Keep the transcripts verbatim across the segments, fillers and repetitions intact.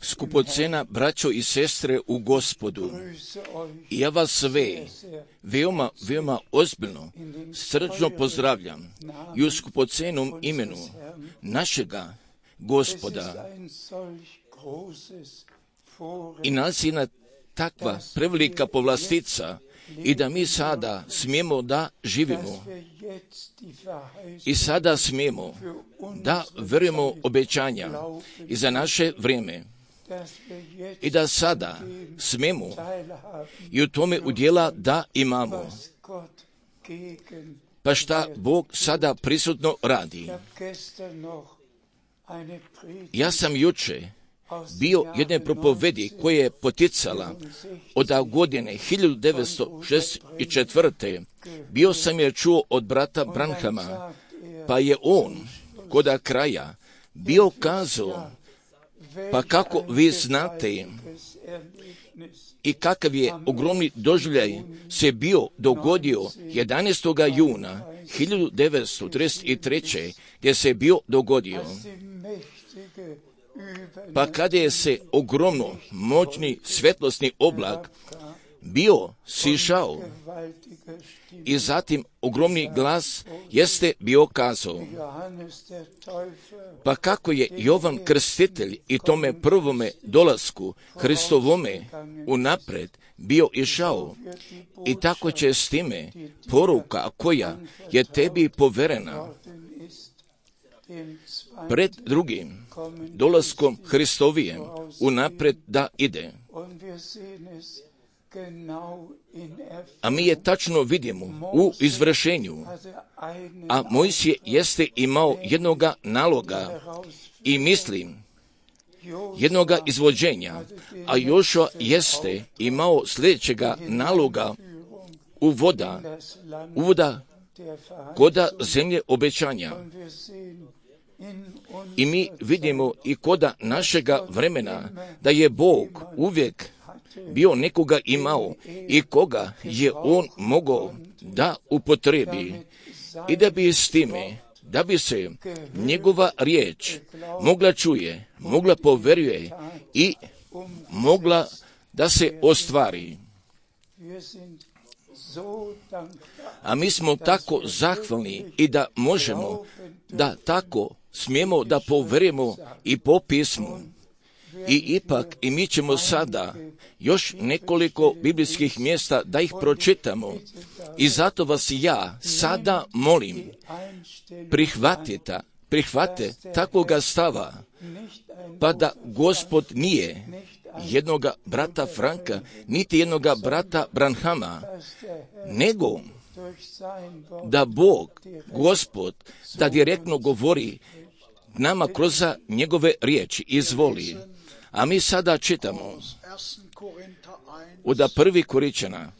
Skupocena braćo i sestre u Gospodu, ja vas sve veoma, veoma ozbiljno, srčno pozdravljam i u skupocenom imenu našega Gospoda. I nas je na takva prevelika povlastica i da mi sada smijemo da živimo i sada smijemo da verujemo obećanja i za naše vrijeme i da sada smijemo i u tome udjela da imamo. Pa šta Bog sada prisutno radi? Ja sam juče bio jedne propovedi koja je poticala od godine hiljadu devetsto šezdeset četvrte. Bio sam je čuo od brata Branhama, pa je on koda kraja bio kazao, pa kako vi znate i kakav je ogromni doživljaj se bio dogodio jedanaestog juna hiljadu devetsto trideset treće. gdje se bio dogodio. Pa kada je se ogromno moćni svetlosni oblak bio sišao i zatim ogromni glas jeste bio kazao, pa kako je Jovan Krstitelj i tome prvome dolasku Hristovome unapred bio išao i tako će s time poruka koja je tebi poverena pred drugim dolaskom Hristovijem unapred da ide. A mi je tačno vidimo u izvršenju, a Mojsije jeste imao jednoga naloga i mislim jednoga izvođenja, a Jošua jeste imao sljedećega naloga uvoda, uvoda koda zemlje obećanja. I mi vidimo i koda našega vremena da je Bog uvijek bio nekoga imao i koga je on mogao da upotrebi i da bi s time, da bi se njegova riječ mogla čuje, mogla poveruje i mogla da se ostvari. A mi smo tako zahvalni i da možemo da tako smijemo da poverujemo i po pismu. I ipak i mi ćemo sada još nekoliko biblijskih mjesta da ih pročitamo. I zato vas ja sada molim, prihvatite, prihvate takvoga stava, pa da Gospod nije jednoga brata Franka, niti jednoga brata Branhama, nego da Bog, Gospod, da direktno govori nama kroz njegove riječi, izvoli. A mi sada čitamo od prvi Koričana,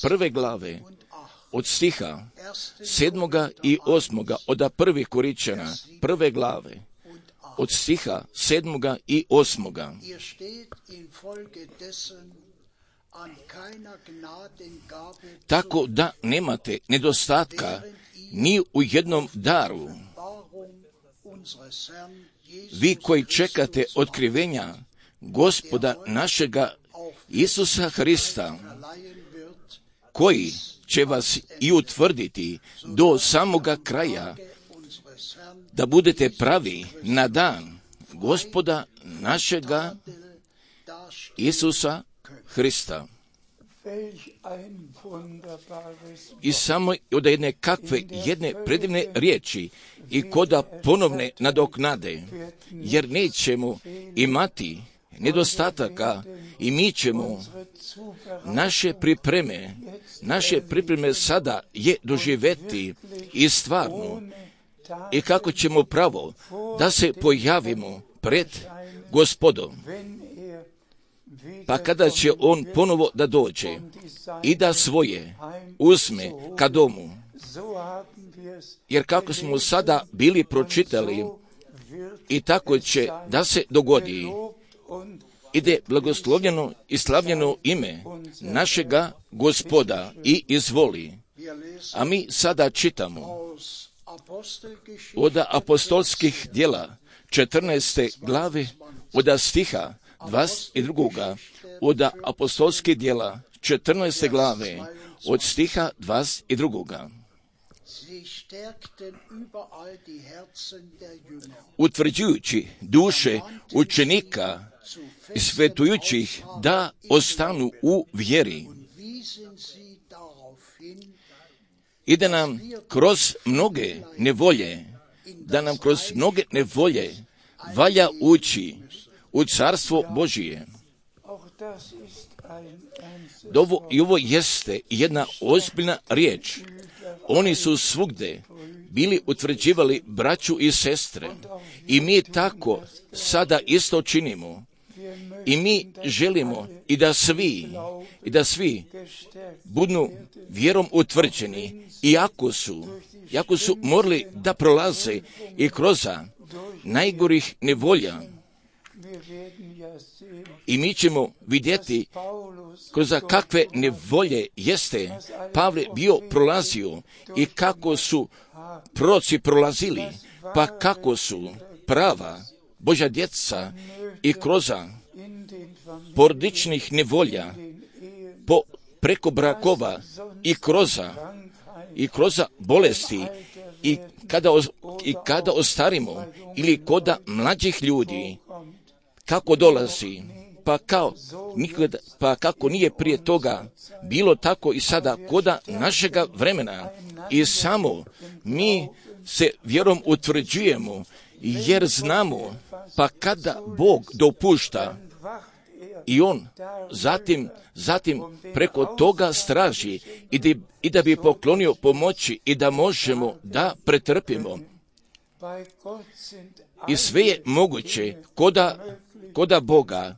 prve glave, od stiha sedmoga i osmoga, od prvi Koričana, prve glave, od stiha sedmoga i osmoga. Tako da nemate nedostatka ni u jednom daru. Vi koji čekate otkrivenja Gospoda našega Isusa Hrista, koji će vas i utvrditi do samoga kraja, da budete pravi na dan Gospoda našega Isusa Hrista. I samo od jedne kakve, jedne predivne riječi i koda ponovne nadoknade, jer nećemo imati nedostataka i mi ćemo naše pripreme, naše pripreme sada je doživjeti i stvarno i kako ćemo pravo da se pojavimo pred Gospodom. Pa kada će on ponovo da dođe i da svoje uzme ka domu, jer kako smo sada bili pročitali i tako će da se dogodi, ide blagoslovljeno i slavljeno ime našega Gospoda i izvoli. A mi sada čitamo od apostolskih djela četrnaeste glave od stiha dvadeset drugoga od apostolskih djela četrnaeste glave od stiha dvadeset drugoga. Utvrđujući duše učenika i svetujućih da ostanu u vjeri i da nam kroz mnoge nevolje, da nam kroz mnoge nevolje valja ući u carstvo Božije. Ovo, I ovo jeste jedna ozbiljna riječ. Oni su svugde bili utvrđivali braću i sestre i mi tako sada isto činimo. I mi želimo i da svi, i da svi budu vjerom utvrđeni, iako su, iako su morali da prolaze i kroz najgorih nevolja. I mi ćemo vidjeti kroz kakve nevolje jeste Pavle bio prolazio i kako su proroci prolazili, pa kako su prava Božja djeca i kroz porodičnih nevolja, po, preko brakova i kroz, i kroz bolesti i kada, i kada ostarimo ili koda mlađih ljudi, kako dolazi, pa, kao, nikada, pa kako nije prije toga bilo tako i sada koda našega vremena. I samo mi se vjerom utvrđujemo, jer znamo, pa kada Bog dopušta, i On zatim, zatim preko toga straži i da, i da bi poklonio pomoći i da možemo da pretrpimo. I sve je moguće koda, koda Boga.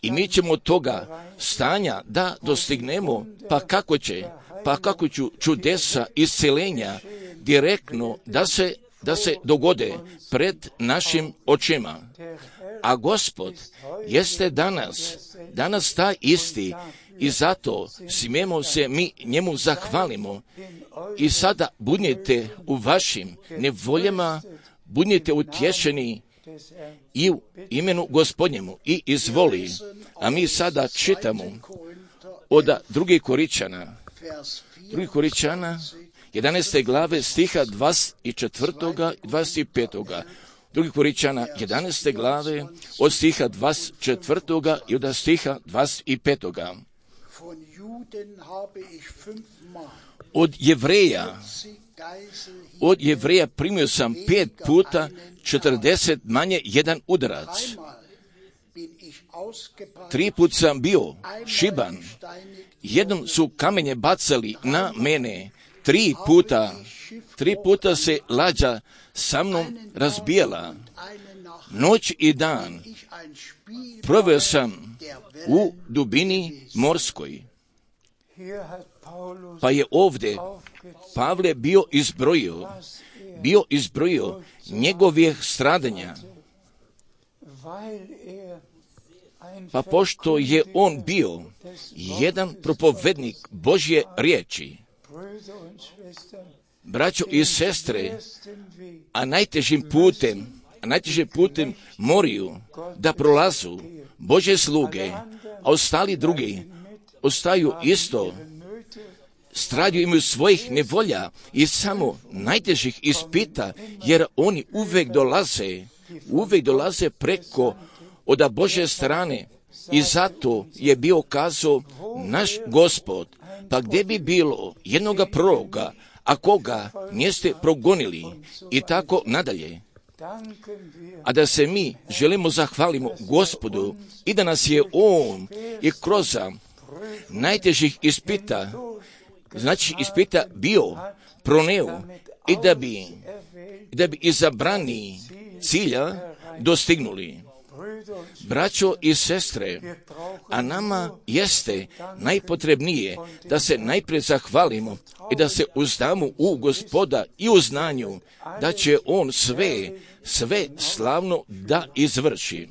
I mi ćemo toga stanja da dostignemo, pa kako će, pa kako ću čudesa isceljenja direktno da se, da se dogode pred našim očima. A Gospod jeste danas, danas taj isti i zato smijemo se mi njemu zahvalimo. I sada budnite u vašim nevoljama, budnite utješeni i u imenu Gospodnjemu i izvoli. A mi sada čitamo od drugih Koričana, drugih Koričana, jedanaeste glave stiha dvadeset četvrtoga i dvadeset petoga. Drugi Koričana, jedanaeste glave, od stiha dvadeset četvrtoga i od stiha dvadeset petoga. Od Jevreja, od Jevreja primio sam pet puta četrdeset manje jedan udarac. Tri put sam bio šiban, jednom su kamenje bacali na mene, tri puta, tri puta se lađa sa mnom razbijala. Noć i dan proveo sam u dubini morskoj. Pa je ovdje Pavle bio izbrojio, bio izbrojio njegovih stradanja. Pa pošto je on bio jedan propovednik Božje riječi, braćo i sestre, a najtežim putem, a najtežim putem moraju da prolazu Božje sluge, a ostali drugi ostaju isto, stradaju imaju svojih nevolja i samo najtežih ispita, jer oni uvek dolaze, uvek dolaze preko od Božje strane. I zato je bio kazao naš Gospod, pa gdje bi bilo jednoga proroka, a koga niste progonili i tako nadalje. A da se mi želimo zahvalimo Gospodu i da nas je On i kroz najtežih ispita, znači ispita bio proneo i da bi, da bi izabrani cilja dostignuli. Braćo i sestre, a nama jeste najpotrebnije da se najprije zahvalimo i da se uzdamo u Gospoda i u znanju da će On sve, sve slavno da izvrši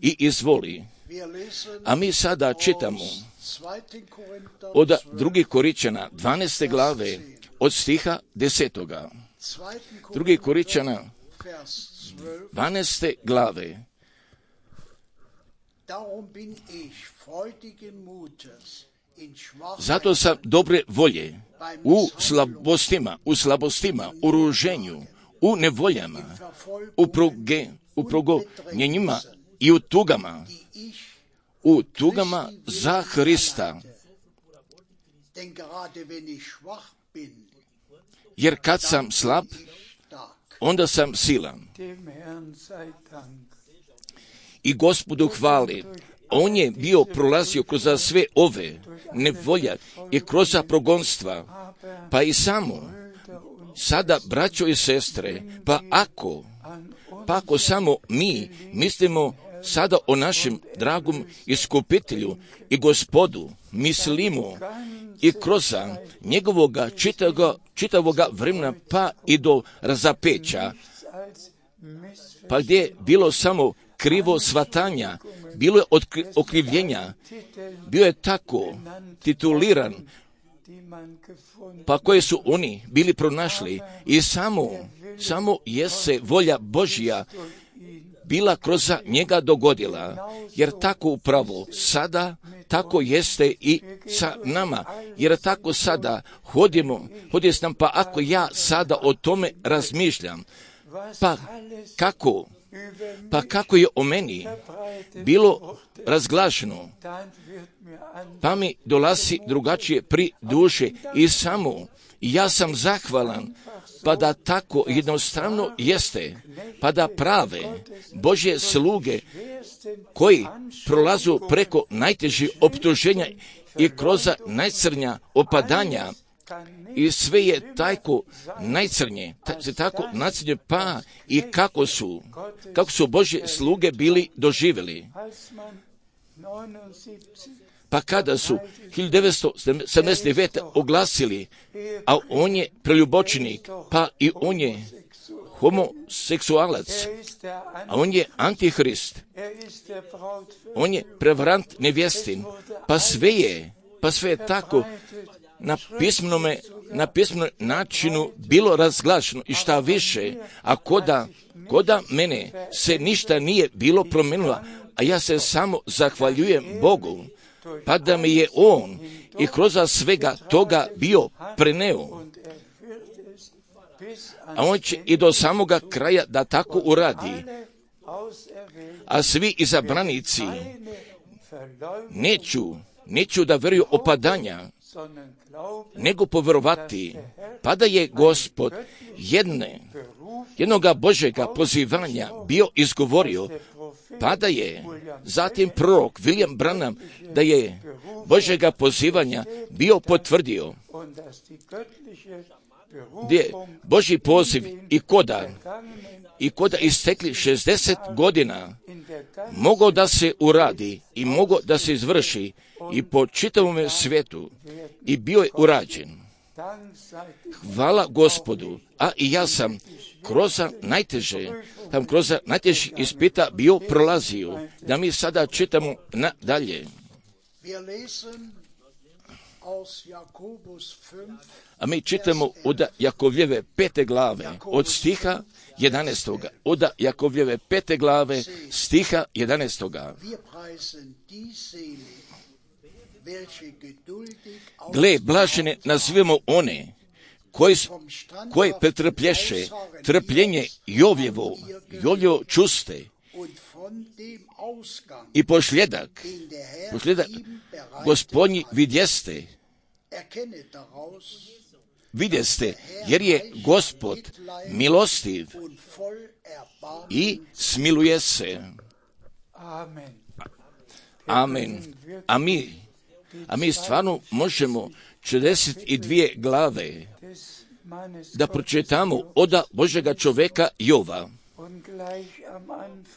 i izvoli. A mi sada čitamo od drugih Koričana, dvanaeste glave, od stiha desetoga. Drugi Korinčana dvanaeste glave. Zato sam dobre volje u slabostima, u slabostima, u ruženju, u nevoljama, u, proge, u progonjenjima i u tugama, u tugama za Hrista. Jer kad sam slab, onda sam silan. I Gospodu hvali, on je bio prolazio kroz sve ove nevolja i kroz progonstva, pa i samo. Sada, braćo i sestre, pa ako, pa ako samo mi mislimo sada o našem dragom iskupitelju i Gospodu, mislimo i kroz njegovoga čitavoga, čitavoga vremena pa i do razapeća, pa gdje je bilo samo krivo shvatanja, bilo je otkri, okrivljenja, bio je tako tituliran, pa koje su oni bili pronašli i samo, samo je se volja Božja bila kroz njega dogodila, jer tako upravo sada, tako jeste i sa nama, jer tako sada hodimo, hodje s nam, pa ako ja sada o tome razmišljam, pa kako, pa kako je o meni bilo razglašeno, pa mi dolazi drugačije pri duše i samo ja sam zahvalan, pa da tako jednostavno jeste, pa da prave Božje sluge koji prolazu preko najtežih optuženja i kroz najcrnja opadanja i sve je tako najcrnje, se tako najcrnje, pa i kako su, kako su Božje sluge bili doživjeli. Pa kada su hiljadu devetsto sedamdeset devete oglasili, a on je preljubočenik, pa i on je homoseksualac, a on je antihrist, on je prevarant nevjestin, pa sve je, pa sve je tako na pismenome, na pismenom načinu bilo razglašeno i šta više, a koda, koda mene se ništa nije bilo promijenilo, a ja se samo zahvaljujem Bogu, pa da mi je on i kroz svega toga bio preneo. A on će i do samoga kraja da tako uradi. A svi izabranici neću, neću da veruju opadanja, nego povjerovati, pa da je Gospod jedne, jednoga Božjega pozivanja bio izgovorio, pa da je zatim prorok William Branham da je Božjega pozivanja bio potvrdio, gdje Božji poziv i koda, i koda istekli šezdeset godina mogao da se uradi i mogao da se izvrši i po čitavom svijetu i bio je urađen. Hvala Gospodu, a i ja sam kroz najteže, tam kroz najtežih ispita bio prolazio, da mi sada čitamo nadalje. A mi čitamo od Jakovljeve pete glave, od stiha jedanaestoga. Od Jakovljeve pete glave, stiha jedanaestoga. Gle, blažene nazivamo one koji, koji pretrplješe trpljenje Jovjevo, Jovjevo čuste i pošljedak, pošljedak Gospodnji vidjeste, vidjeste, jer je Gospod milostiv i smiluje se. Amen. A mi, a mi stvarno možemo četrdeset dvije glave da pročitamo od Božjega čovjeka Jova.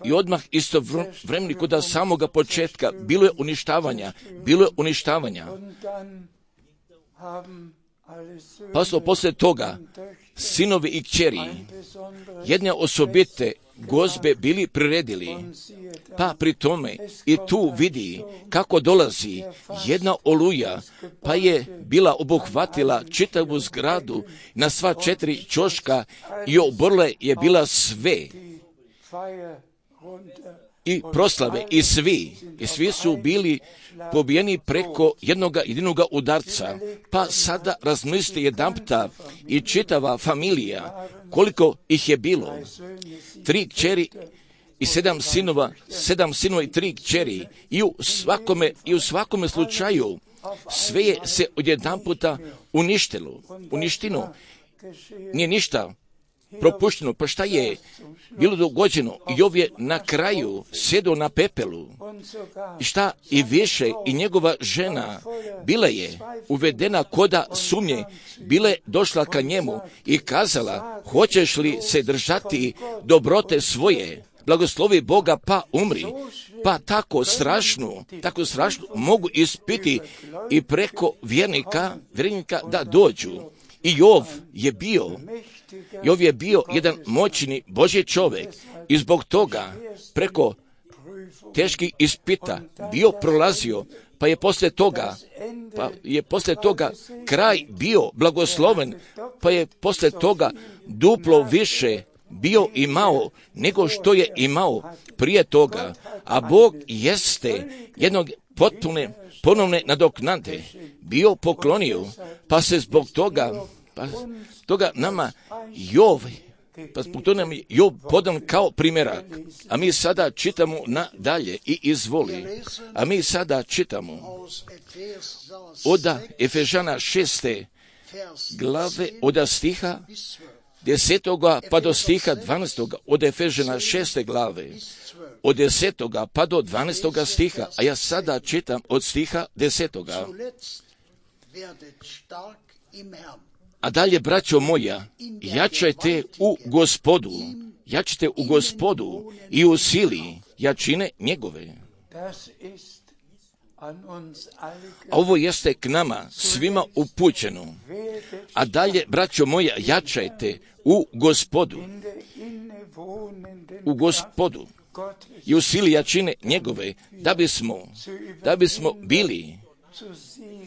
I odmah isto vremeni kod samoga početka bilo je uništavanja, bilo je uništavanja. Pa su poslije toga sinovi i kćeri jedne osobite gozbe bili priredili. Pa pri tome i tu vidi kako dolazi jedna oluja, pa je bila obuhvatila čitavu zgradu na sva četiri ćoška i oborila je bila sve. I proslave, i svi, i svi su bili pobijeni preko jednoga jedinoga udarca. Pa sada razmislite jedanputa i čitava familija, koliko ih je bilo. Tri kćeri i sedam sinova, sedam sinova i tri kćeri. I u svakome, i u svakome slučaju sve je se odjedanputa uništilo, uništino. Nije ništa propušteno. Pa šta je bilo dogođeno? Jov je na kraju sjedio na pepelu. I šta i više, i njegova žena bila je uvedena koda sumnje, bila je došla ka njemu i kazala, hoćeš li se držati dobrote svoje? Blagoslovi Boga pa umri. Pa tako strašno, tako strašno mogu ispiti i preko vjernika, vjernika da dođu. I Jov je bio, Jov je bio jedan moćni Božji čovjek i zbog toga preko teških ispita bio prolazio, pa je poslije toga, pa je poslije toga kraj bio blagosloven, pa je poslije toga duplo više bio imao nego što je imao prije toga, a Bog jeste jednog potpune ponovne nadoknade bio poklonio, pa se zbog toga, pa toga nama Jov, pa zbog toga nam je Jov podan kao primjerak. A mi sada čitamo nadalje i izvoli. A mi sada čitamo od Efežana šeste glave, od stiha desetoga pa do stiha dvanaestoga, od Efežana šeste glave, od desetoga pa do dvanaestoga stiha, a ja sada čitam od stiha desetoga. A dalje, braćo moja, jačajte u Gospodu, jačajte u Gospodu i u sili jačine njegove. A ovo jeste k nama svima upućeno. A dalje, braćo moja, jačajte u Gospodu, u Gospodu i u sili jačine njegove, da bismo, da bismo bili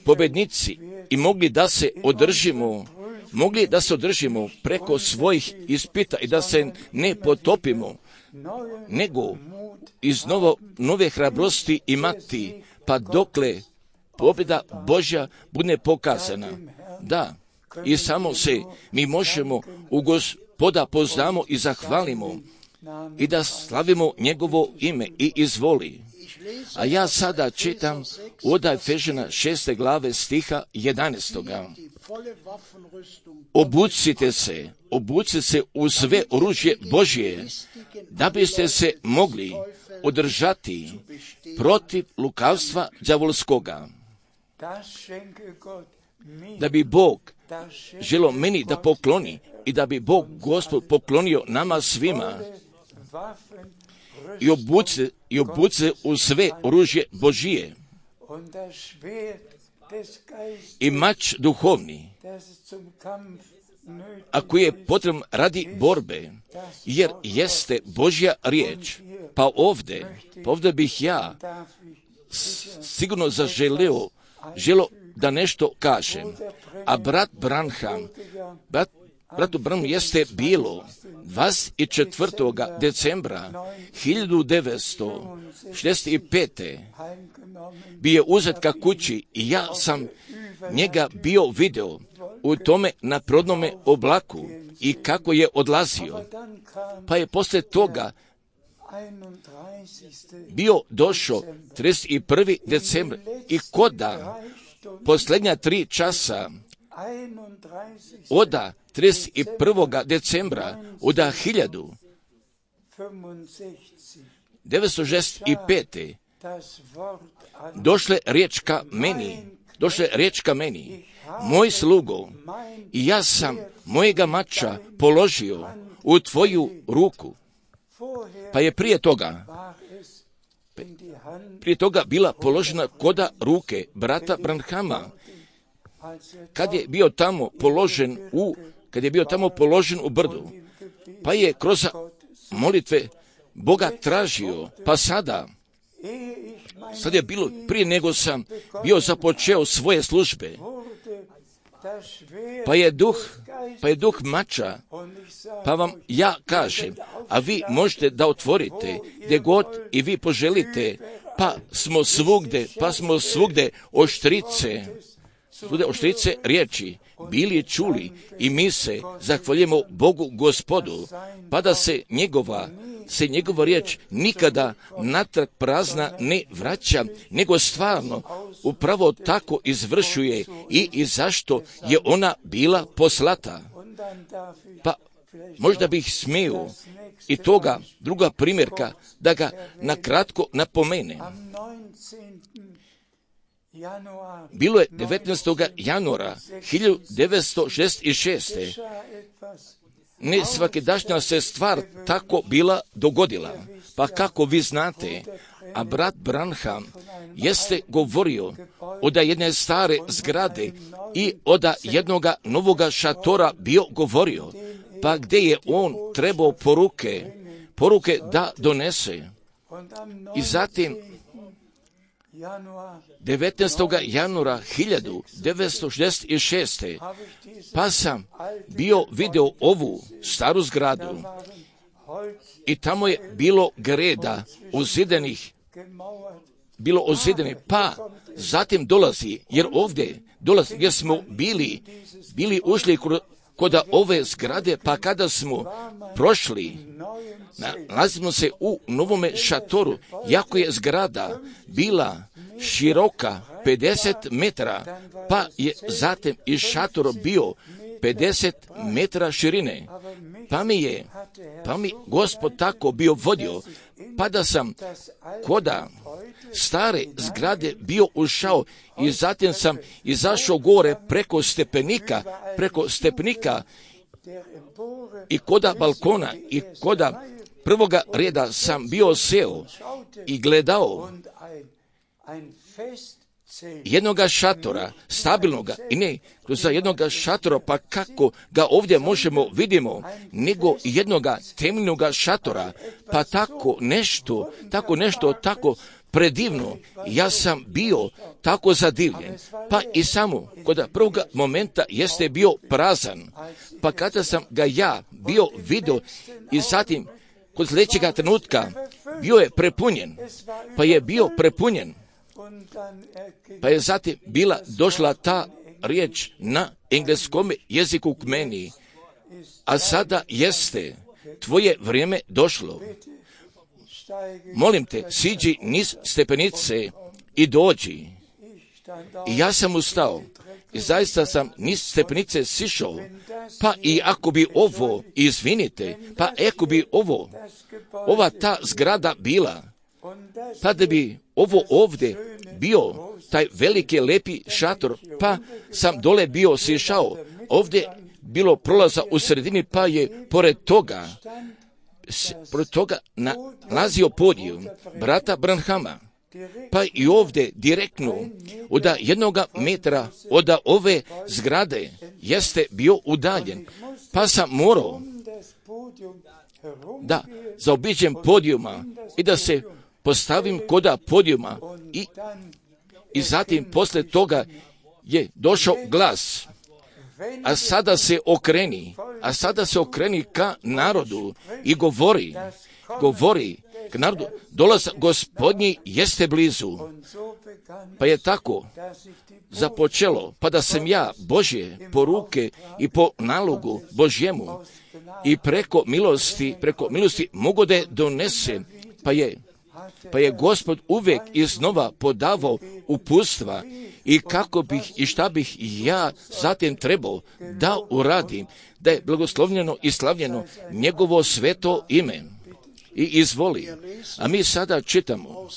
pobjednici i mogli da se održimo, mogli da se održimo preko svojih ispita i da se ne potopimo, nego iz novo, nove hrabrosti imati, pa dokle pobjeda Božja bude pokazana. Da, i samo se mi možemo u Gospoda poznamo i zahvalimo i da slavimo njegovo ime i izvoli. A ja sada čitam od Efežana šeste glave stiha jedanaestoga. Obucite se, obucite se u sve oružje Božje, da biste se mogli održati protiv lukavstva đavolskoga. Da bi Bog želio meni da pokloni i da bi Bog Gospod poklonio nama svima i obucite, i obucite u sve oružje Božije i mač duhovni, a koji je potreban radi borbe, jer jeste Božja riječ. Pa ovdje, pa ovdje bih ja sigurno zaželio, želio da nešto kažem. A brat Branham, brat, bratu Branham jeste bilo dvadeset četvrtog decembra hiljadu devetsto šezdeset pete bio je uzet ka kući i ja sam njega bio video u tome naprodnome oblaku i kako je odlazio. Pa je poslije toga bio došao trideset prvog decembra i koda posljednja tri časa oda trideset prvog decembra oda hiljadu devetsto šezdeset pete došle riječ ka meni, došle riječ ka meni, moj slugo, i ja sam mojega mača položio u tvoju ruku. Pa je prije toga, prije toga bila položena koda ruke brata Branhama, kad je bio tamo položen u, kad je bio tamo položen u brdu, pa je kroz molitve Boga tražio, pa sada, sad je bilo prije nego sam bio započeo svoje službe, pa je duh, pa je duh mača, pa vam ja kažem, a vi možete da otvorite gdje god i vi poželite, pa smo svugde, pa smo svugde oštrice, svugde oštrice riječi bili čuli i mi se zahvaljujemo Bogu Gospodu, pa da se njegova se njegova riječ nikada natrag prazna ne vraća, nego stvarno upravo tako izvršuje i, i zašto je ona bila poslata. Pa možda bih smio i toga druga primjerka da ga nakratko napomene. Bilo je devetnaestog januara hiljadu devetsto šezdeset šeste. Ne svakidašnja se stvar tako bila dogodila. Pa kako vi znate, a brat Branham jeste govorio od jedne stare zgrade i od jednoga novoga šatora bio govorio, pa gdje je on trebao poruke, poruke da donese. I zatim devetnaestog januara hiljadu devetsto šezdeset šeste. pa sam bio video ovu staru zgradu i tamo je bilo greda ozidenih, bilo ozidenih, pa zatim dolazi, jer ovdje dolazi, jer smo bili, bili ušli kod ove zgrade, pa kada smo prošli, nalazimo se u novome šatoru, jako je zgrada bila široka pedeset metara, pa je zatim i šator bio pedeset metara širine, pa mi je, pa mi Gospod tako bio vodio, pa da sam koda stare zgrade bio ušao i zatim sam izašao gore preko stepenika, preko stepenika i koda balkona i koda prvoga reda sam bio seo i gledao jednoga šatora, stabilnoga, i ne za jednoga šatora, pa kako ga ovdje možemo vidimo, nego jednoga temeljnoga šatora, pa tako nešto, tako nešto, tako predivno, ja sam bio tako zadivljen, pa i samo kod prvog momenta jeste bio prazan, pa kada sam ga ja bio vidio i zatim kod sljedećega trenutka bio je prepunjen, pa je bio prepunjen, pa je zatim bila došla ta riječ na engleskom jeziku k meni, a sada jeste tvoje vrijeme došlo. Molim te, siđi niz stepenice i dođi. I ja sam ustao i zaista sam niz stepenice sišao, pa i ako bi ovo, izvinite, pa ako bi ovo, ova ta zgrada bila, pa da bi ovo ovdje bio taj veliki lepi šator, pa sam dole bio sišao, ovdje bilo prolaza u sredini, pa je pored toga, pored toga nalazio podijum brata Branhama, pa i ovdje direktno od jednog metra od ove zgrade jeste bio udaljen, pa sam morao da zaobiđem podijuma i da se postavim koda podijuma i, i zatim posle toga je došao glas, a sada se okreni, a sada se okreni ka narodu i govori, govori k narodu, dolaz Gospodnji jeste blizu. Pa je tako započelo, pa da sam ja Božje poruke i po nalogu Božjemu i preko milosti, preko milosti mogu da je donese, pa je Pa je Gospod uvijek iznova podavao uputstva i kako bih i šta bih ja zatim trebao da uradim, da je blagoslovljeno i slavljeno njegovo sveto ime. I izvoli. A mi sada čitamo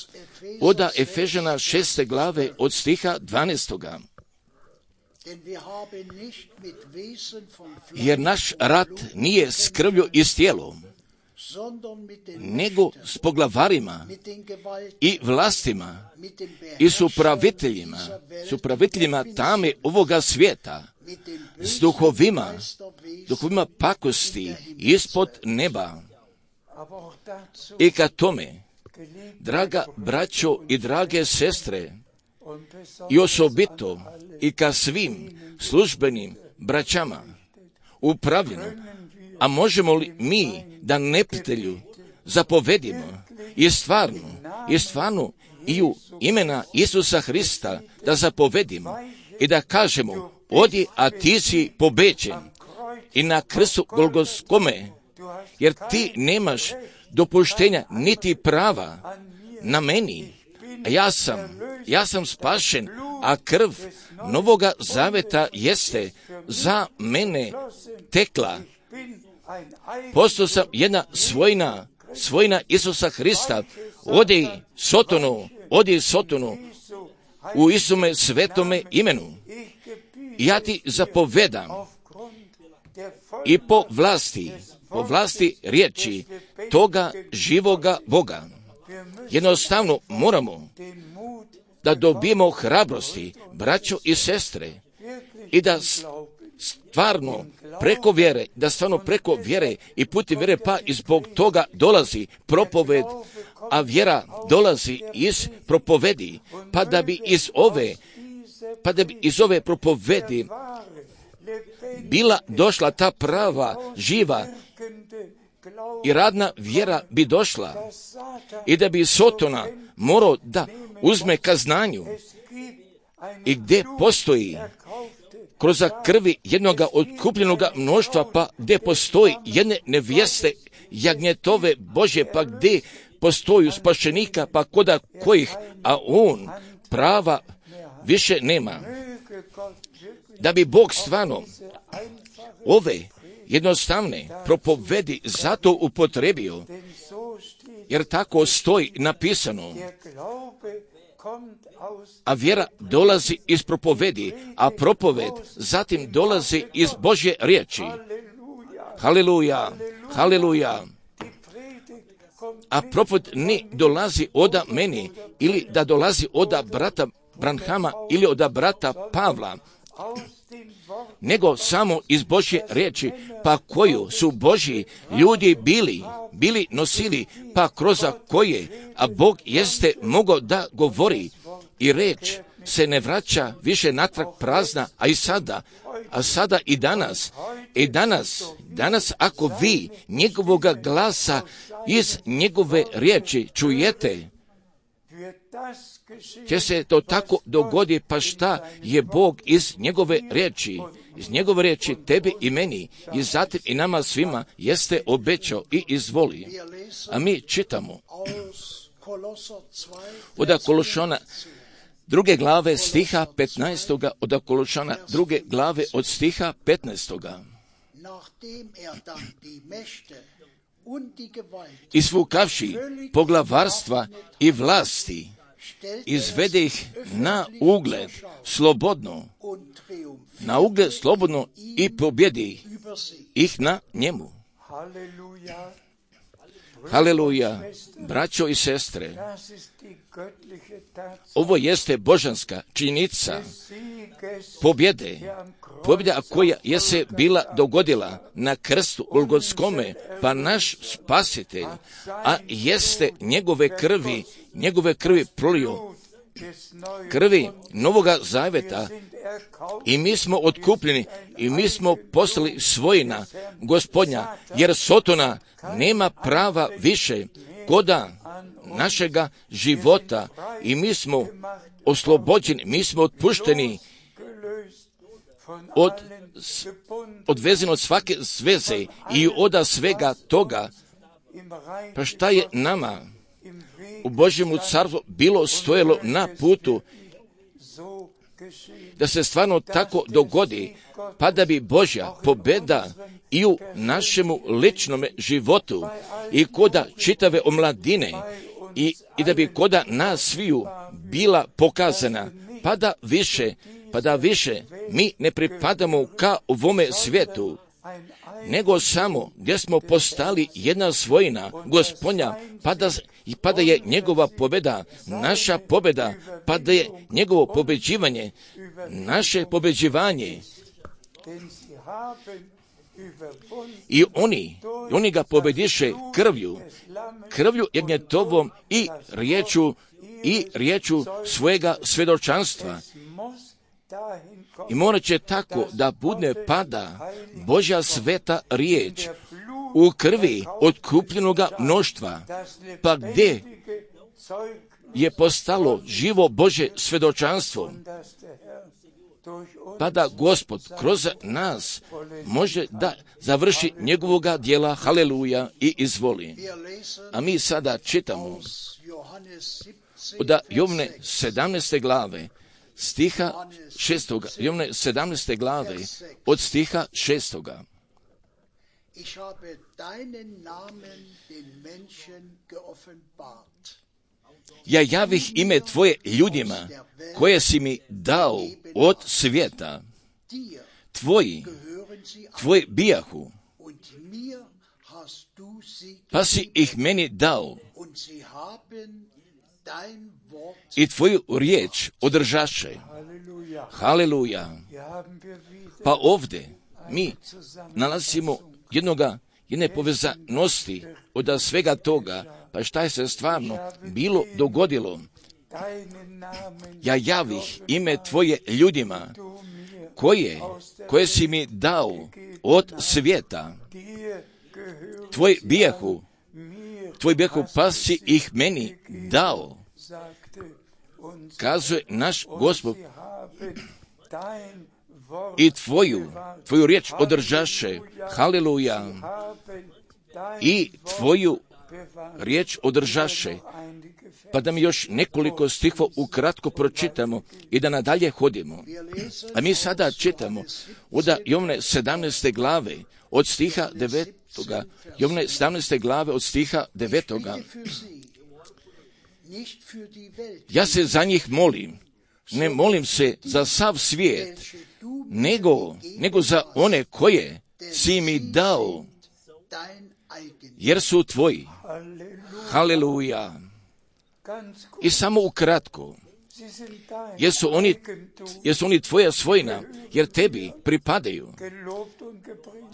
od Efežana šeste glave od stiha dvanaestoga. Jer naš rat nije s krvlju i s tijelom, nego s poglavarima i vlastima i s upraviteljima, s upraviteljima tame ovoga svijeta, s duhovima, duhovima pakosti ispod neba. I ka tome, draga braćo i drage sestre, i osobito i ka svim službenim braćama upravljeno, a možemo li mi da neprijatelju zapovedimo i stvarno, i stvarno i u imena Isusa Hrista da zapovedimo i da kažemo, odi, a ti si pobeđen i na krstu Golgotskome, jer ti nemaš dopuštenja niti prava na meni. Ja sam, ja sam spašen, a krv Novoga Zaveta jeste za mene tekla. Postao sam jedna svojina, svojina Isusa Hrista. Odi Sotonu, odi Sotonu u Isume svetome imenu. Ja ti zapovedam i po vlasti, po vlasti riječi toga živoga Boga. Jednostavno moramo da dobijemo hrabrosti, braćo i sestre, i da stvarno preko vjere, da stvarno preko vjere i putem vjere, pa i zbog toga dolazi propoved, a vjera dolazi iz propovedi, pa da bi iz ove, pa da bi iz ove propovedi bila došla ta prava, živa i radna vjera bi došla i da bi Sotona morao da uzme ka znanju i gdje postoji kroz krvi jednoga otkupljenoga mnoštva, pa gdje postoji jedne nevjeste jagnjetove Božje, pa gdje postoju spašenika, pa koda kojih, a on prava više nema. Da bi Bog stvarno ove jednostavne propovedi zato upotrebio, jer tako stoji napisano, a vjera dolazi iz propovedi, a propoved zatim dolazi iz Božje riječi. Haleluja, haleluja. A propoved ne dolazi oda meni, ili da dolazi oda brata Branhama, ili oda brata Pavla, nego samo iz Božje riječi, pa koju su Božji ljudi bili, bili nosili, pa kroz koje, a Bog jeste mogao da govori i reč se ne vraća više natrag prazna, a i sada, a sada i danas, i danas, danas ako vi njegovoga glasa iz njegove riječi čujete, će se to tako dogodi, pa šta je Bog iz njegove riječi, iz njegove riječi tebi i meni i zatim i nama svima jeste obećao i izvoli. A mi čitamo od Kološana druge glave stiha petnaestoga, od Kološana druge glave od stiha petnaestoga. Isfukavši poglavarstva i vlasti, izvede ih na ugled slobodno, na ugled slobodno i pobjedi ih na njemu. Haleluja, braćo i sestre, ovo jeste božanska činjenica pobjede, pobjeda koja je se bila dogodila na krstu Golgotskome, pa naš spasitelj, a jeste njegove krvi, njegove krvi prolio, krvi Novoga Zaveta, i mi smo otkupljeni i mi smo postali svojina Gospodnja, jer Sotona nema prava više koda našega života i mi smo oslobođeni, mi smo otpušteni od, odvezeni od svake zveze i od svega toga. Pa šta je nama u Božjemu carstvu bilo stojalo na putu da se stvarno tako dogodi, pa da bi Božja pobjeda i u našemu ličnom životu i koda čitave omladine i, i da bi koda nas sviju bila pokazana, pa da više, pa da više mi ne pripadamo ka ovome svijetu, nego samo gdje smo postali jedna svojina Gospodnja, pa da, pa da je njegova pobjeda naša pobjeda, pa da je njegovo pobeđivanje naše pobeđivanje. I oni, oni ga pobediše krvlju, krvlju jagnjetovom i riječu, i riječu svojega svjedočanstva. I morat će tako da bude pada Božja sveta riječ u krvi otkupljenoga mnoštva, pa gdje je postalo živo Božje svjedočanstvo, pa da Gospod kroz nas može da završi njegovoga djela, haleluja, i izvoli. A mi sada čitamo od Jovne sedamnaeste glave, stiha šestoga, Jovne sedamnaeste glave, od stiha šestoga. Ich habe deinen Namen den Menschen geoffenbart. Ja javih ime tvoje ljudima, koje si mi dao od svijeta. Tvoji, tvoji bijahu, pa si ih meni dao. I tvoju riječ održaše. Haleluja. Pa ovdje mi nalazimo jednoga, jedne povezanosti od svega toga, pa šta je se stvarno bilo dogodilo. Ja javih ime tvoje ljudima, koje, koje si mi dao od svijeta. Tvoj bijahu, tvoj bijahu, pa si ih meni dao. Kazuje naš Gospod, i tvoju, tvoju riječ održaše, haleluja, i tvoju riječ održaše. Pa da mi još nekoliko stihova ukratko pročitamo i da nadalje hodimo. A mi sada čitamo od Jovne sedamnaeste glave, od stiha devetoga, Jovne sedamnaeste glave od stiha devetoga. Ja se za njih molim, ne molim se za sav svijet, nego, nego za one koje si mi dao, jer su tvoji. Haleluja. I samo ukratko, jesu oni, jesu oni tvoja svojina, jer tebi pripadaju.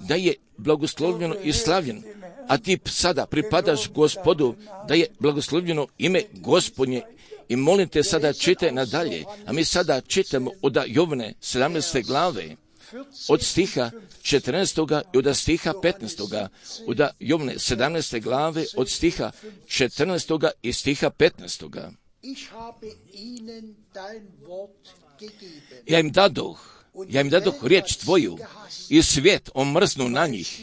Da je blagoslovljeno i slavljeno, a ti sada pripadaš Gospodu, da je blagoslovljeno ime Gospodnje. I molim te sada čitaj nadalje, a mi sada čitamo od Jovne sedamnaeste glave, od stiha četrnaestoga i od stiha petnaestoga, od Jovne sedamnaeste glave, od stiha četrnaestoga i stiha petnaestoga. Ja im dadoh, ja im dadoh riječ tvoju i svijet omrznu na njih,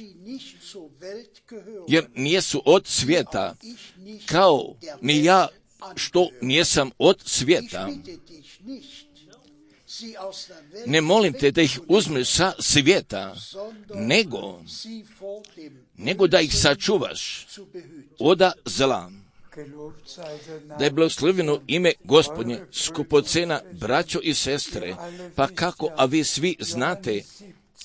jer nijesu od svijeta, kao ni ja što nijesam od svijeta. Ne molim te da ih uzmeš sa svijeta, nego, nego da ih sačuvaš od zla. Da je blagoslovljeno ime Gospodnje, skupocena braćo i sestre, pa kako, a vi svi znate,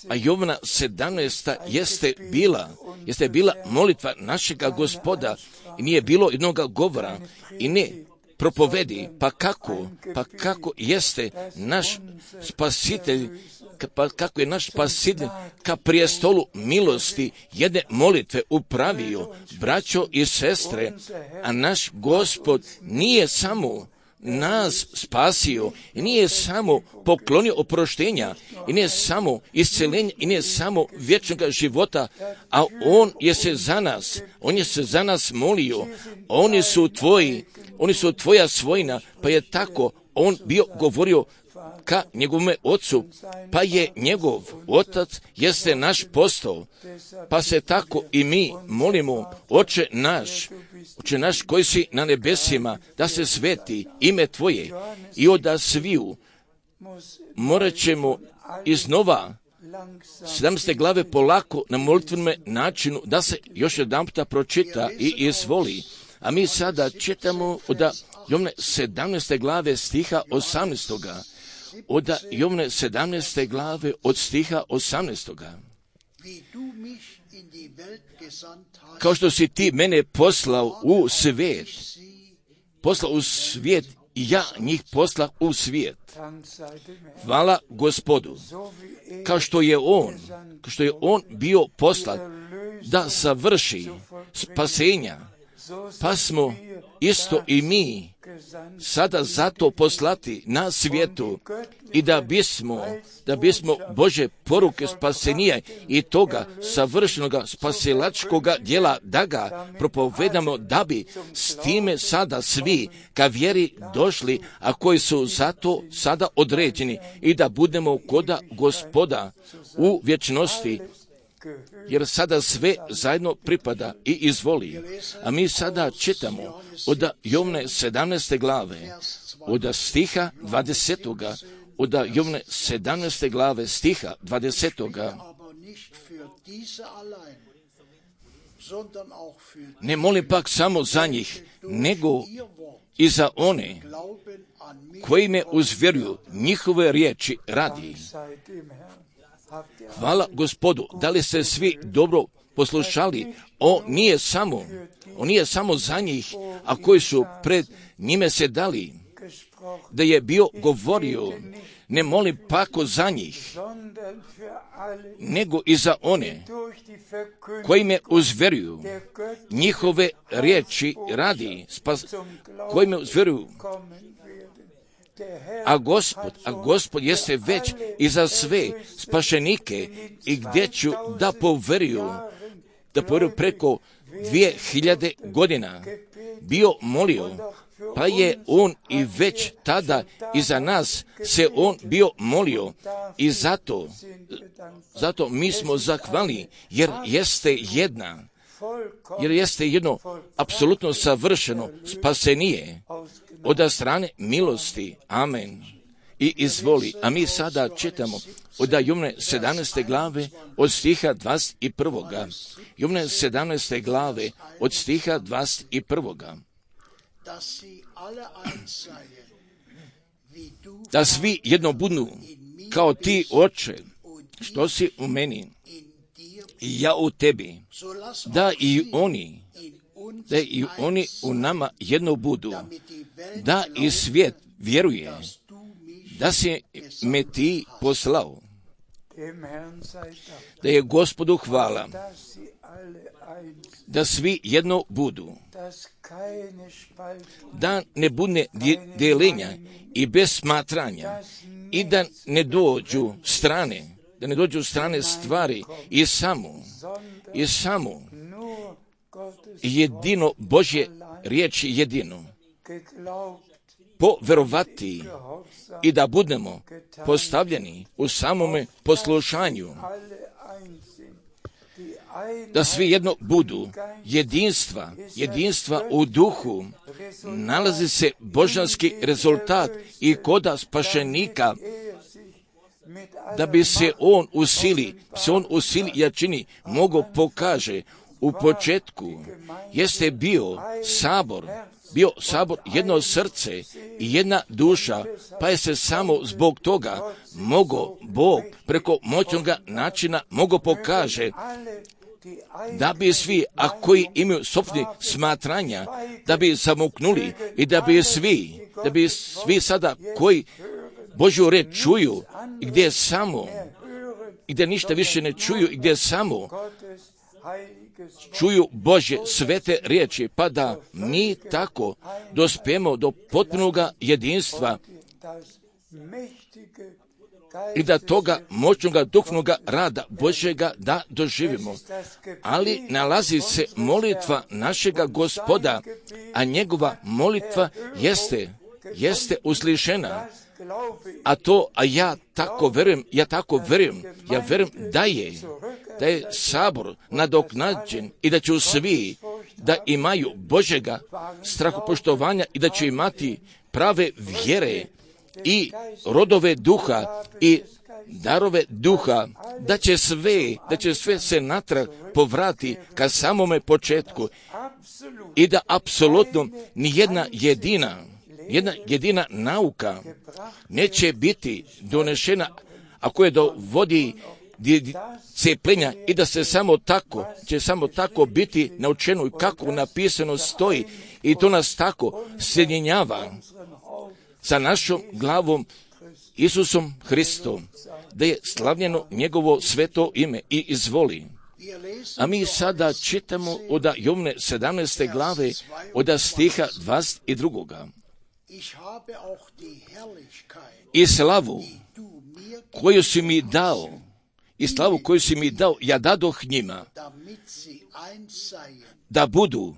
a Jovna sedamnaesta jeste bila, jeste bila molitva našega Gospoda i nije bilo jednog govora i ne propovedi, pa kako, pa kako jeste naš spasitelj, pa kako je naš spasitelj ka prijestolu milosti jedne molitve upravio, braćo i sestre, a naš Gospod nije samo nas spasio i nije samo poklonio oproštenja i nije samo isceljenje i nije samo vječnog života, a on je se za nas, on je se za nas molio, oni su tvoji, oni su tvoja svojina, pa je tako on bio govorio ka njegovome ocu, pa je njegov otac jeste naš postao, pa se tako i mi molimo, Oče naš, Oče naš koji si na nebesima, da se sveti ime tvoje i od sviju morat ćemo iznova sedamnaeste glave polako na molitvenome načinu da se još jedan puta pročita i izvoli. A mi sada čitamo od Jovne sedamnaeste glave stiha osamnaestoga. Od Jovne sedamnaeste glave od stiha osamnaestoga. Kao što si ti mene poslao u svijet, poslao u svijet ja njih posla u svijet. Hvala Gospodu, kao što je On, kao što je On bio poslat da savrši spasenja, pa smo isto i mi sada zato poslati na svijetu i da bismo, da bismo Bože poruke spasenija i toga savršenoga spasilačkoga djela da ga propovedamo, da bi s time sada svi ka vjeri došli, a koji su zato sada određeni i da budemo koda Gospoda u vječnosti, jer sada sve zajedno pripada i izvoli. A mi sada čitamo od Jovne sedamnaeste glave, od stiha dvadesetoga, od Jovne sedamnaeste glave, stiha dvadesetoga. Ne molim pak samo za njih, nego i za one koji me uzvjeruju njihove riječi radi. Hvala Gospodu, da li ste svi dobro poslušali? On nije samo, on nije samo za njih, a koji su pred njime se dali, da je bio govorio, ne molim pako za njih, nego i za one koji me uzvjeruju njihove riječi radi, spas, koji me uzvjeruju. A Gospod, a Gospod jeste već i za sve spašenike i gdje ću da poveruju, da poveruju preko dvije hiljade godina bio molio, pa je on i već tada i za nas se on bio molio i zato, zato mi smo zahvalni, jer jeste jedna, jer jeste jedno apsolutno savršeno spasenije od strane milosti. Amen. I izvoli. A mi sada čitamo od Jovne sedamnaeste glave od stiha dvadeset prvoga. Jovne sedamnaeste glave od stiha dvadeset prvoga. Da svi jedno budu kao ti, Oče, što si u meni i ja u tebi, da i oni, da i oni u nama jedno budu, da i svijet vjeruje da si me ti poslao. Da je Gospodu hvala, da svi jedno budu, da ne bude djelenja i bez smatranja i da ne dođu strane, da ne dođu strane stvari i samo, i samo jedino Božje riječi jedino poverovati i da budemo postavljeni u samome poslušanju, da svi jedno budu jedinstva, jedinstva u duhu, nalazi se božanski rezultat i koda spašenika, da bi se on u sili, se on u sili jačini mogo pokaže. U početku jeste bio sabor, bio sabor jedno srce i jedna duša, pa je se samo zbog toga mogo Bog preko moćnoga načina mogo pokaže, da bi svi, a koji imaju sopstveni smatranja, da bi zamuknuli i da bi svi, da bi svi sada koji Božju reč čuju i gdje samo, i gdje ništa više ne čuju i gdje samo čuju Božje svete riječi, pa da mi tako dospijemo do potpunoga jedinstva i da toga moćnoga duhovnoga rada Božjega da doživimo. Ali nalazi se molitva našega Gospoda, a njegova molitva jeste, jeste uslišena. A to, a ja tako verujem, ja tako verujem, ja verujem da je, da je sabor nadoknađen i da će svi da imaju Božjega strahopoštovanja i da će imati prave vjere i rodove duha i darove duha, da će sve, da će sve se natrag povrati ka samome početku i da apsolutno ni jedna jedina Jedna jedina nauka neće biti donešena ako je dovodi cepljenja i da se samo tako, će samo tako biti naučeno i kako napisano stoji i to nas tako sjedinjava sa našom glavom Isusom Hristom, da je slavljeno njegovo sveto ime i izvoli. A mi sada čitamo od Jovne sedamnaeste glave, od stiha dvadeset dva. I slavu koju si mi dao, i slavu koju si mi dao, ja dadoh njima, da budu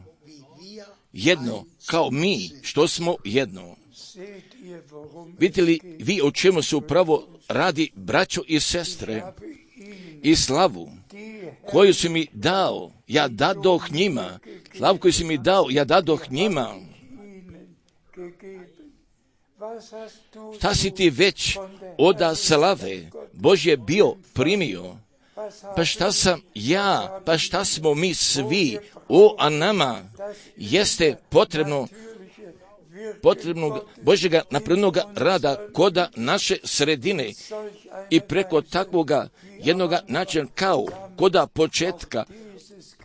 jedno, kao mi, što smo jedno. Vidite li vi o čemu se upravo radi, braćo i sestre? I slavu koju si mi dao, ja dadoh njima. Slavu koju si mi dao, ja dadoh njima. Šta si ti već oda slave Božje bio primio? Pa šta sam ja, pa šta smo mi svi, o, a nama jeste potrebno potrebnog Božjega napravljenoga rada koda naše sredine i preko takvoga jednoga načina kao koda početka,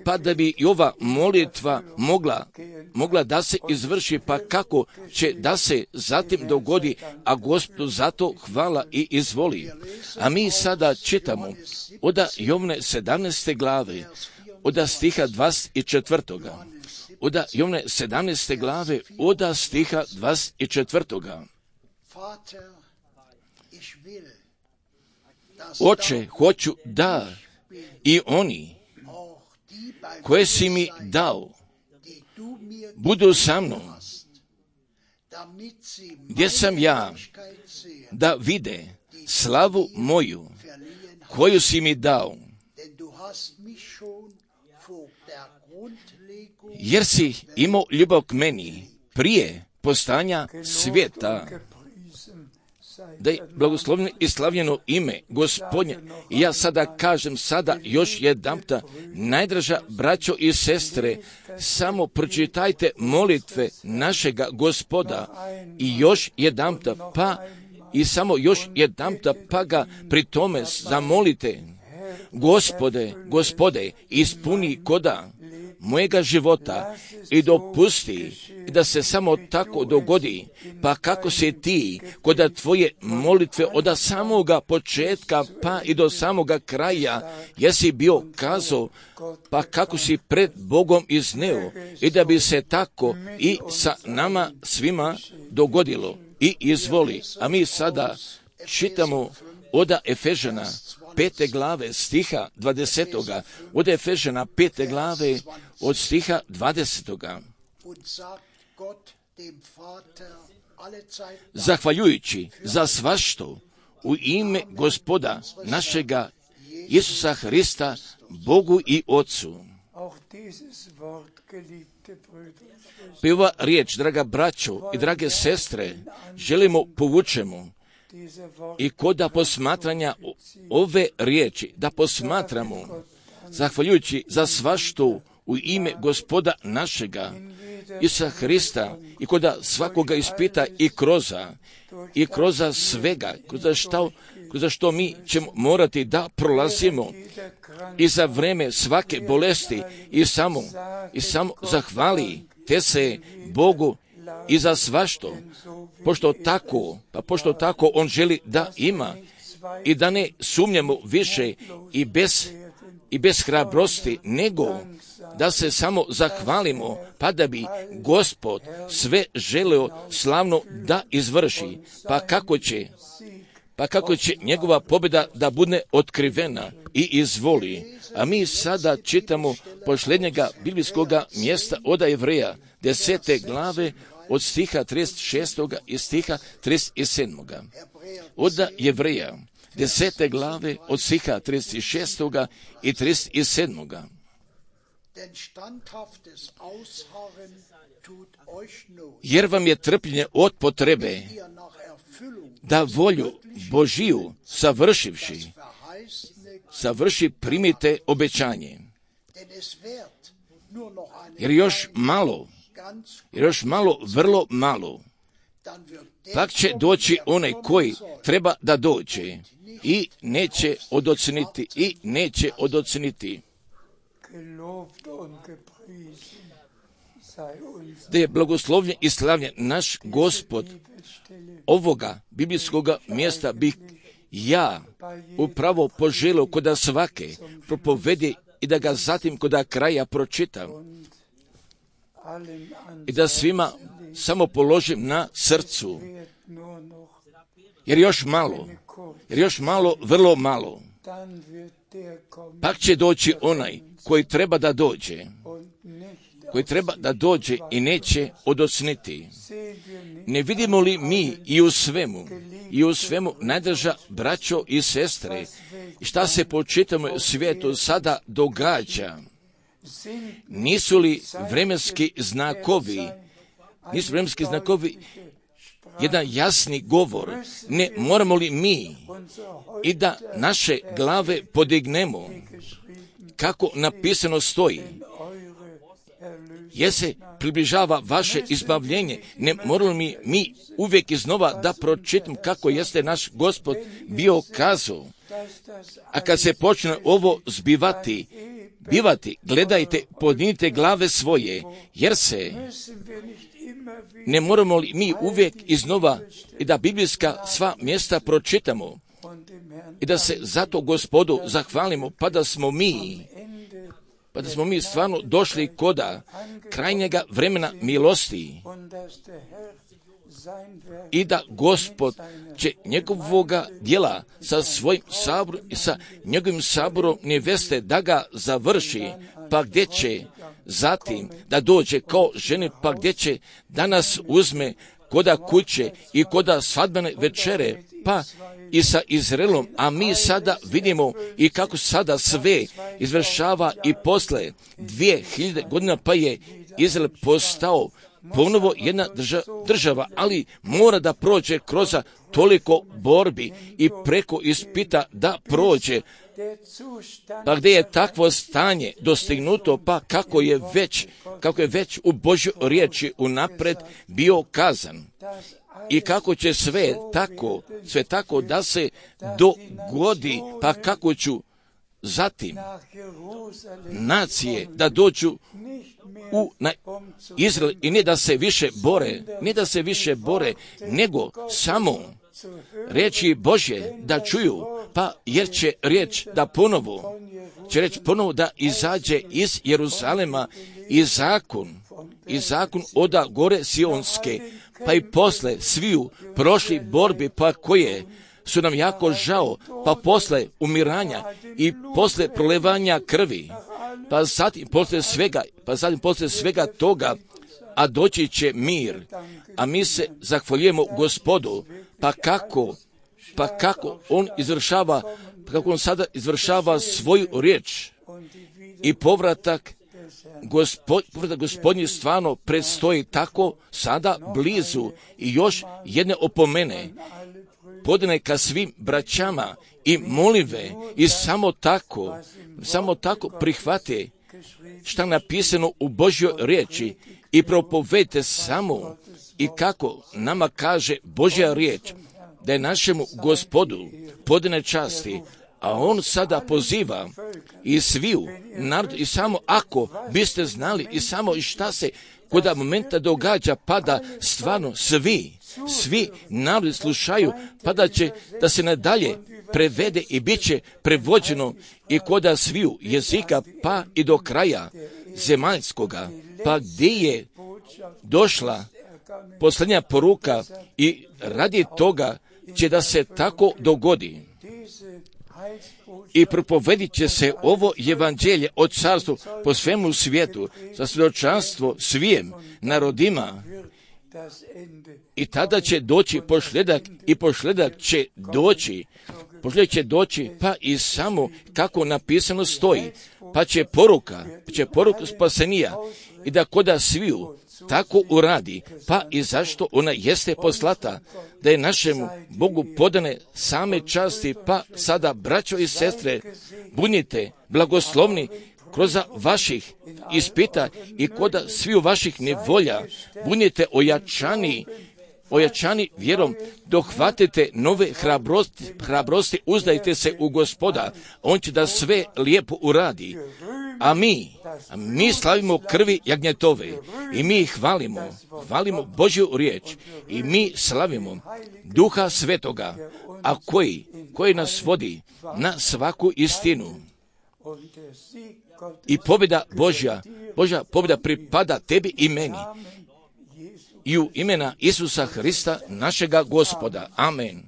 pa da bi i ova molitva mogla, mogla da se izvrši, pa kako će da se zatim dogodi, a Gospodu zato hvala i izvoli. A mi sada čitamo od Jovne sedamnaeste glave, od stiha dvadeset četiri. Od Jovne sedamnaeste glave, od stiha dvadeset četiri. Oče, hoću da i oni koje si mi dao budu sa mnom, gdje sam ja, da vide slavu moju koju si mi dao, jer si imao ljubav k meni prije postojanja svijeta. Da je blagoslovljeno i slavljeno ime Gospodnje. I ja sada kažem sada još jedanputa, najdraža braćo i sestre, samo pročitajte molitve našega Gospoda i još jedanputa, pa i samo još jedanputa, pa ga pri tome zamolite. Gospode, Gospode, ispuni koda mojega života i dopusti da se samo tako dogodi, pa kako si ti koda tvoje molitve od samoga početka pa i do samoga kraja jesi bio kazao, pa kako si pred Bogom izneo, i da bi se tako i sa nama svima dogodilo i izvoli. A mi sada čitamo od Efežana pete glave stiha dvadesetoga, od Efežana pete glave od stiha dvadesetoga. Zahvaljujući za svašto u ime Gospoda našega Isusa Hrista, Bogu i Otcu. Pa ova riječ, draga braćo i drage sestre, želimo povučemo i koda posmatranja ove riječi, da posmatramo, zahvaljujući za svašto u ime Gospoda našega Isusa Hrista, i koda svakoga ispita i kroza, i kroza svega, kroza što, kroza što mi ćemo morati da prolazimo i za vreme svake bolesti, i samo, i samo zahvali te se Bogu i za svašto, pošto tako, pa pošto tako on želi da ima, i da ne sumnjamo više i bez, i bez hrabrosti, nego da se samo zahvalimo, pa da bi Gospod sve želeo slavno da izvrši, pa kako će, pa kako će njegova pobjeda da bude otkrivena i izvoli. A mi sada čitamo posljednjega biblijskoga mjesta od Jevreja, desete glave, od stiha trideset šestog i stiha trideset sedmog. Od Jevreja, desete glave, od stiha trideset šestog i trideset sedmog. Jer vam je trpljenje od potrebe da volju Božiju savršivši, savrši primite obećanje. Jer još malo, jer još malo, vrlo malo, pak će doći onaj koji treba da dođe i neće odoceniti, i neće odoceniti. da je blagoslovljen i slavljen naš Gospod. Ovoga biblijskog mjesta bih ja upravo poželio koda svake propovedi i da ga zatim koda kraja pročitam i da svima samo položim na srcu, jer još malo, jer još malo, vrlo malo, pak će doći onaj koji treba da dođe, koji treba da dođe i neće odosniti. Ne vidimo li mi i u svemu, i u svemu, najdraža braćo i sestre, šta se po čitavom svijetu sada događa? Nisu li vremenski znakovi, nisu vremenski znakovi jedan jasni govor? Ne moramo li mi i da naše glave podignemo, kako napisano stoji, jer se približava vaše izbavljenje? Ne moramo mi, mi uvijek iznova da pročitam kako jeste naš Gospod bio kazao. A kad se počne ovo zbivati, bivati, gledajte, podignite glave svoje, jer se ne moramo li mi uvijek iznova i da biblijska sva mjesta pročitamo i da se zato Gospodu zahvalimo, pa da smo mi pa da smo mi stvarno došli koda krajnjega vremena milosti i da Gospod će njegovoga djela sa svojim saborom i sa njegovim saborom neveste da ga završi, pa gdje će zatim da dođe kao žene, pa gdje će da nas uzme koda kuće i koda svadbene večere, pa i sa Izraelom, a mi sada vidimo i kako sada sve izvršava i posle dvije hiljade godina, pa je Izrael postao ponovo jedna drža, država, ali mora da prođe kroz toliko borbi i preko ispita da prođe. Pa gdje je takvo stanje dostignuto, pa kako je već, kako je već u Božjoj riječi unapred bio kazan. I kako će sve tako, sve tako da se dogodi, pa kako ću zatim nacije da dođu u na Izrael i ne da se više bore, ne da se više bore, nego samo riječi Božje da čuju, pa jer će riječ da ponovo, će reći ponovo da izađe iz Jeruzalema i zakon, i zakon oda gore Sionske, pa i posle sviju prošli borbi, pa koje su nam jako žao, pa posle umiranja i posle prolevanja krvi, pa zatim posle svega, pa zatim posle svega toga, a doći će mir. A mi se zahvaljujemo Gospodu, pa kako, pa kako on izvršava, kako on sada izvršava svoju riječ i povratak Gospod, povratak Gospodnji stvarno predstoji tako sada blizu i još jedne opomene. Podne ka svim braćama i molive i samo tako, samo tako prihvate šta napisano u Božjoj riječi i propovedite samo i kako nama kaže Božja riječ, da je našemu Gospodu podne časti, a on sada poziva i sviju narod i samo ako biste znali i samo i šta se koda momenta događa, pa da stvarno svi, svi narodi slušaju, pa da će da se nadalje prevede i bit će prevođeno i koda sviju jezika, pa i do kraja zemaljskoga, pa gdje je došla posljednja poruka i radi toga će da se tako dogodi. I propovedit će se ovo evanđelje od carstva po svemu svijetu za svjedočanstvo svijem narodima i tada će doći pošljedak i pošljedak će doći, pošljedak će doći pa i samo kako napisano stoji, pa će poruka, pa će poruka spasenija i da koda sviju tako uradi, pa i zašto ona jeste poslata, da je našemu Bogu podane same časti, pa sada, braćo i sestre, budite blagoslovni kroz vaših ispita i koda sviju vaših nevolja, budite ojačani, ojačani vjerom, dohvatite nove hrabrosti, hrabrosti, uzdajte se u Gospoda, on će da sve lijepo uradi. A mi, a mi slavimo krvi jagnjetove i mi hvalimo, hvalimo Božju riječ i mi slavimo Duha Svetoga, a koji, koji nas vodi na svaku istinu. I pobjeda Božja, Božja pobjeda pripada tebi i meni. I u imena Isusa Hrista, našega Gospoda. Amen.